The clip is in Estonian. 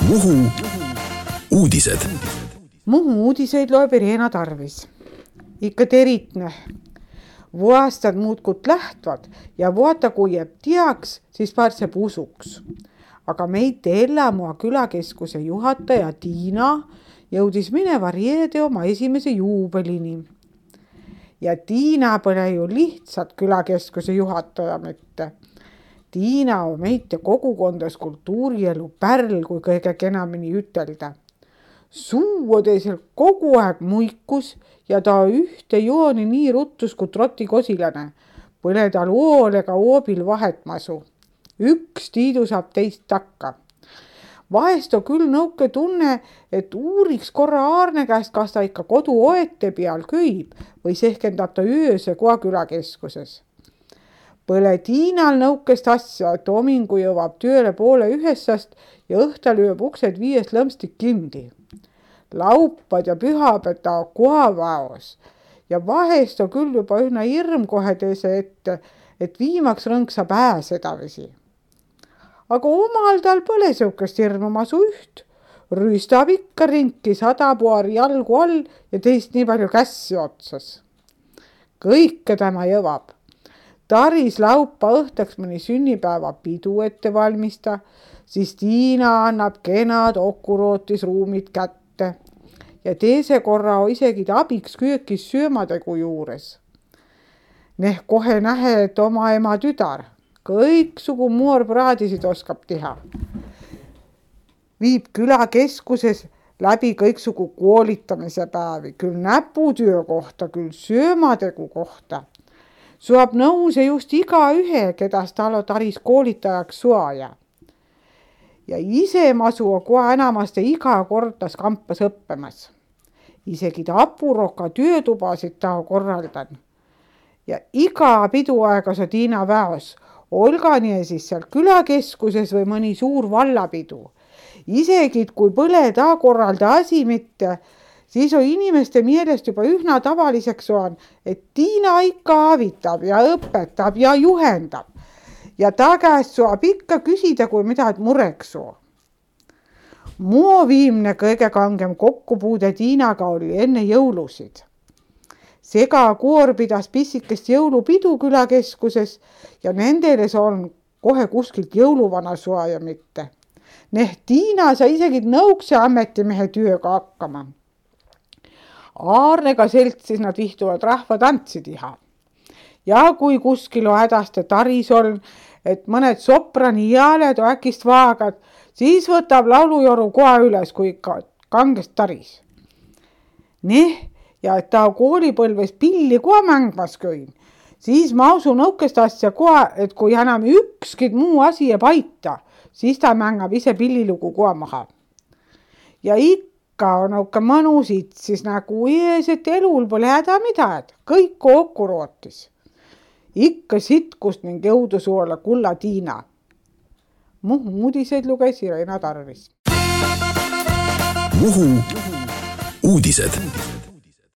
Muhu uudised. Muhu uudiseid loeb Irena Tarvis. Ikka teritne. Vuastad muudkut lähtvad ja vuota kui jääb teaks, siis pääseb usuks. Aga meid Ellamua külakeskuse juhataja Tiina jõudis mineva reede oma esimese juubelini. Ja Tiina pole ju lihtsalt külakeskuse juhataja mitte. Tiina on meite kogukondas kultuurielu pärl, kui kõige kenamini ütelda. Suu teisel kogu aeg muikus ja ta ühte jooni nii ruttus kui trotikosilane. Põle tal ool ega oobil vahetmasu. Üks tiidu saab teist takka. Vahest on küll nõuke tunne, et uuriks korra Aarne käest, kas ta ikka kodu oete peal köib või sehkendab ta ööse koha külakeskuses. Põle Tiinal nõukest asja, et homingu jõuab tööle 12:30 ja õhtal lööb uksed 5 lõmstik kindi. Laupad ja pühaped ta kohavaos ja vahest on küll juba ühna hirm kohe teise ette, et viimaks rõnksa pääs edavisi. Aga omal tal pole siukest hirmumasu üht. Rüüstab ikka rinki 100 puari jalgu all ja teist nii palju kässi otsas. Kõike tema jõvab. Taris laupa õhtaks mõni sünnipäeva pidu ette valmista, siis Tiina annab kenad okurootisruumid kätte ja teise korra isegi abiks köökis söömadegu juures. Kohe nähe, et oma ema tüdar kõiksugu moorpraadisid oskab teha. Viib külakeskuses läbi kõiksugu koolitamise päevi, küll näputöö kohta, küll söömadegu kohta. Suab nõuse just igaühe, kedas tal on taris koolitajaks suaja. Ja ise masu on kohe enamaste iga kordas kampas õppemas. Isegi ta apuroka töötubasid ta korraldan. Ja iga piduaega sa Tiina väos, olga nii siis seal külakeskuses või mõni suur vallapidu. Isegi kui põle ta korralda asi mitte, siis on inimeste meelest juba ühna tavaliseks on, et Tiina ikka avitab ja õpetab ja juhendab. Ja ta käest saab ikka küsida, kui midagi mureks on. Mu viimne kõige kangem kokkupuude Tiinaga oli enne jõulusid. Segakoor pidas pissikest jõulupidu külakeskuses ja nendele on kohe kuskilt jõuluvana suaja mitte. Tiina sai isegi nõukse ametimehe tööga hakkama. Aarnega seltsis nad vihtuvad rahvatantsi teha. Ja kui kuskil on hädaste taris on, et mõned soprani jääled on äkist vaagad, siis võtab laulujoru koha üles, kui ikka kangest taris. Ja et ta koolipõlves pilli koha mängmas köin, siis ma usun nõukest asja koha, et kui enam ükski muu asi ei paita, siis ta mängab ise pillilugu koha maha. Ja ikka on nõuke mõnusid, siis nagu ees, et elul pole häda midagi, kõik kokku rootis. Ikka sitkust ning jõudu suola kulla Tiina. Muhu uudiseid luges Irena Tarvis. Muhu uudised.